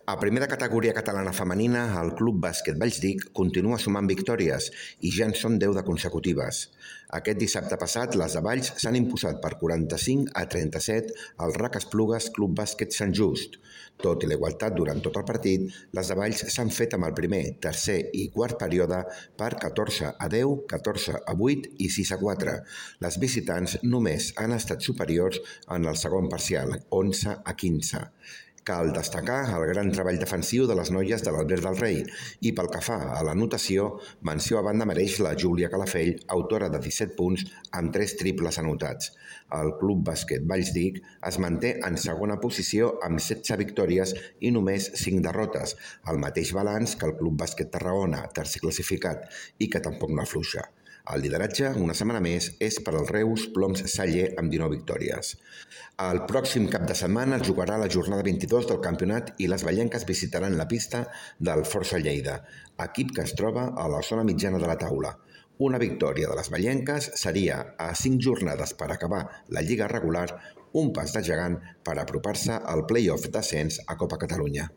A primera categoria catalana femenina, el Club Bàsquet Vallsdic continua sumant victòries i ja en són 10 de consecutives. Aquest dissabte passat, les de Valls s'han imposat per 45-37 al RAC Esplugues Club Bàsquet Sant Just. Tot i la igualtat durant tot el partit, les de Valls s'han fet amb el primer, tercer i quart període per 14-10, 14-8 i 6-4. Les visitants només han estat superiors en el segon parcial, 11-15. Cal destacar el gran treball defensiu de les noies de l'Albert del Rei i pel que fa a l'anotació, menció a banda mereix la Júlia Calafell, autora de 17 punts amb 3 triples anotats. El Club Bàsquet Vallsdic es manté en segona posició amb 16 victòries i només 5 derrotes, el mateix balanç que el Club Bàsquet Tarragona, tercer classificat, i que tampoc no afluixa. El lideratge, una setmana més, és per al Reus Ploms Saller amb 19 victòries. El pròxim cap de setmana es jugarà la jornada 22 del campionat i les vallenques visitaran la pista del Força Lleida, equip que es troba a la zona mitjana de la taula. Una victòria de les vallenques seria, a 5 jornades per acabar la lliga regular, un pas de gegant per apropar-se al play-off d'ascens a Copa Catalunya.